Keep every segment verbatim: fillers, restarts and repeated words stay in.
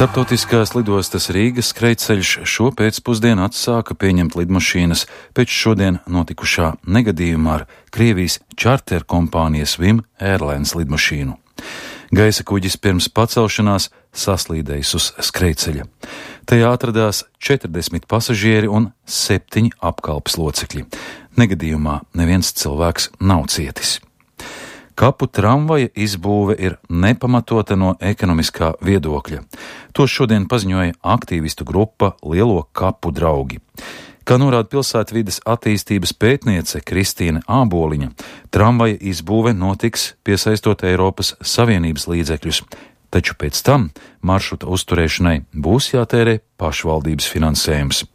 Starptautiskās lidostas Rīgas skrejceļš šo pēcpusdienu atsāka pieņemt lidmašīnas pēc šodien notikušā negadījumā ar Krievijas čarter kompānijas Vim Airlines lidmašīnu. Gaisa kuģis pirms pacelšanās saslīdējis uz skrejceļa. Tajā atradās četrdesmit pasažieri un septiņi apkalpes locekļi. Negadījumā neviens cilvēks nav cietis. Kapu tramvaja izbūve ir nepamatota no ekonomiskā viedokļa. To šodien paziņoja aktīvistu grupa Lielo kapu draugi. Kā norāda pilsētvides attīstības pētniece Kristīne Āboliņa, tramvaja izbūve notiks piesaistot Eiropas Savienības līdzekļus, taču pēc tam maršruta uzturēšanai būs jātērē pašvaldības finansējums.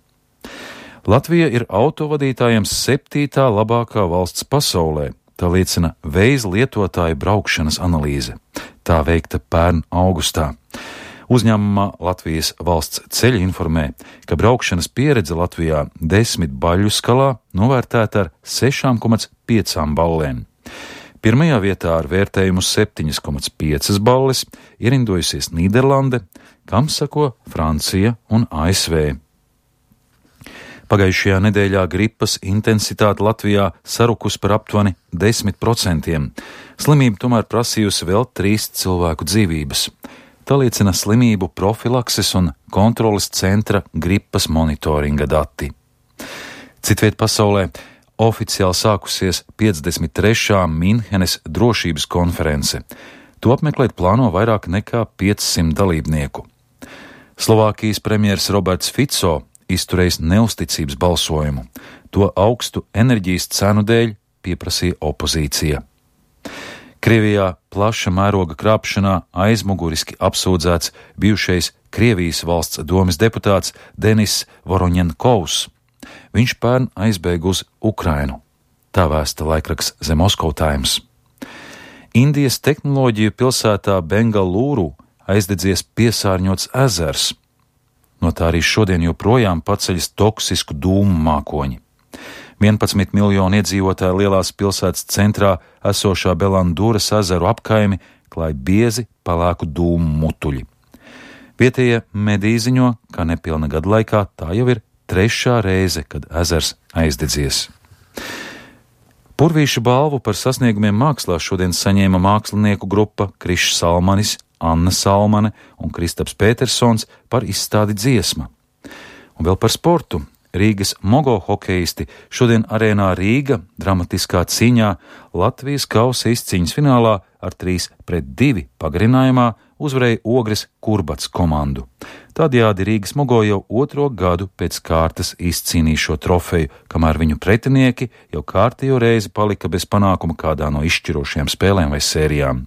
Latvija ir autovadītājiem septītā labākā valsts pasaulē. Tā liecina Waze lietotāju braukšanas analīze. Tā veikta pērn augustā. Uzņēmumā Latvijas valsts ceļi informē, ka braukšanas pieredze Latvijā desmit baļu skalā novērtēta ar sešām komats piecām ballēm. Pirmajā vietā ar vērtējumu septiņas komats piecas balles ierindojusies Nīderlande, kam sako Francija un A S V. Pagājušajā nedēļā gripas intensitāte Latvijā sarukus par aptuveni desmit procentiem. Slimība tomēr prasījusi vēl trīs cilvēku dzīvības. Tā liecina slimību profilakses un kontroles centra gripas monitoringa dati. Citviet pasaulē oficiāli sākusies piecdesmit trešā Minhenes drošības konference. To apmeklēt plāno vairāk nekā piecsimt dalībnieku. Slovākijas premjers Roberts Fico izturējis neusticības balsojumu. To augstu enerģijas cenu dēļ pieprasīja opozīcija. Krievijā plaša mēroga krāpšanā aizmuguriski apsūdzēts bijušais Krievijas valsts domes deputāts Denis Voroņenkovs. Viņš pērn aizbēga uz Ukrainu. Tā vēsta laikraksts The Moscow Times. Indijas tehnoloģiju pilsētā Bengalūru aizdedzies piesārņots ezers. No tā arī šodien joprojām paceļas toksisku dūmu mākoņi. vienpadsmit miljonu iedzīvotāju lielās pilsētas centrā esošā Belandūras ezeru apkaimi klāj biezi pelēku dūmu mutuļi. Vietējie mediji ziņo, ka nepilna gada laikā tā jau ir trešā reize, kad ezers aizdedzies. Purvīša balvu par sasniegumiem mākslā šodien saņēma mākslinieku grupa Krišs Salmanis, Anna Salmane un Kristaps Pētersons par izstādi Dziesma. Un vēl par sportu. Rīgas mogo hokeisti šodien arēnā Rīga dramatiskā cīņā Latvijas kausa izcīņas finālā ar trīs pret divi pagarinājumā uzvarēja Ogres Kurbats komandu. Tādējādi Rīgas mogo jau otro gadu pēc kārtas izcīnīja šo trofeju, kamēr viņu pretinieki jau kārtējo reizi palika bez panākuma kādā no izšķirošajām spēlēm vai sērijām.